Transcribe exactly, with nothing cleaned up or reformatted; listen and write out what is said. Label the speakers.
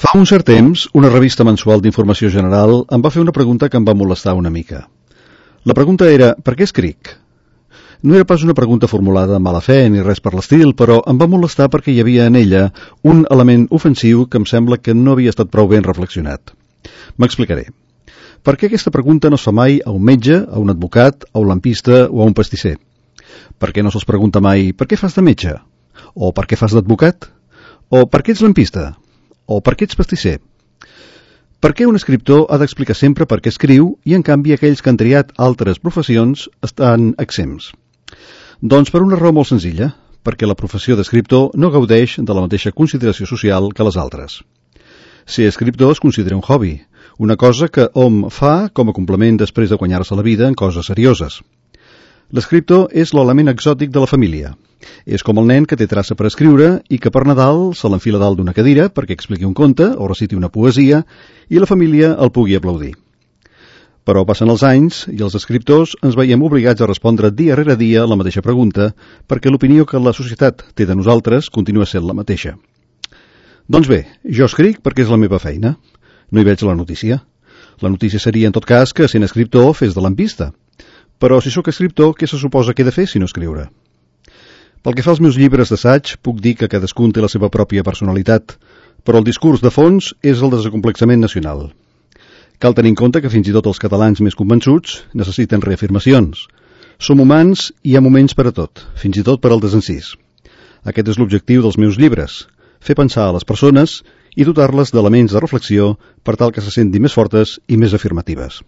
Speaker 1: Fa un cert temps, una revista mensual d'informació general em va fer una pregunta que em va molestar una mica. La pregunta era, per què escric? No era pas una pregunta formulada amb mala fe ni res per l'estil, però em va molestar perquè hi havia en ella un element ofensiu que em sembla que no havia estat prou ben reflexionat. M'explicaré. Per què aquesta pregunta no es fa mai a un metge, a un advocat, a un lampista o a un pastisser? Per què no se'ls pregunta mai per què fas de metge? O per què fas d'advocat? O per què ets lampista? O per què ets pastisser? Per què un escriptor ha d'explicar sempre per què escriu i, en canvi, aquells que han triat altres professions estan exempts? Doncs per una raó molt senzilla, perquè la professió d'escriptor no gaudeix de la mateixa consideració social que les altres. Ser escriptor es considera un hobby, una cosa que hom fa com a complement després de guanyar-se la vida en coses serioses. L'escriptor és l'element exòtic de la família. És com el nen que té traça per escriure i que per Nadal se l'enfila dalt d'una cadira perquè expliqui un conte o reciti una poesia i la família el pugui aplaudir. Però passen els anys i els escriptors ens veiem obligats a respondre dia rere dia la mateixa pregunta perquè l'opinió que la societat té de nosaltres continua sent la mateixa. Doncs bé, jo escric perquè és la meva feina. No hi veig la notícia. La notícia seria, en tot cas, que sent escriptor fes de lampista. Però si sóc escriptor, què se suposa que he de fer si no escriure? Pel que fa als meus llibres d'assaig, puc dir que cadascun té la seva pròpia personalitat, però el discurs de fons és el desacomplexament nacional. Cal tenir en compte que fins i tot els catalans més convençuts necessiten reafirmacions. Som humans i hi ha moments per a tot, fins i tot per al desencís. Aquest és l'objectiu dels meus llibres, fer pensar a les persones i dotar-les d'elements de reflexió per tal que se sentin més fortes i més afirmatives.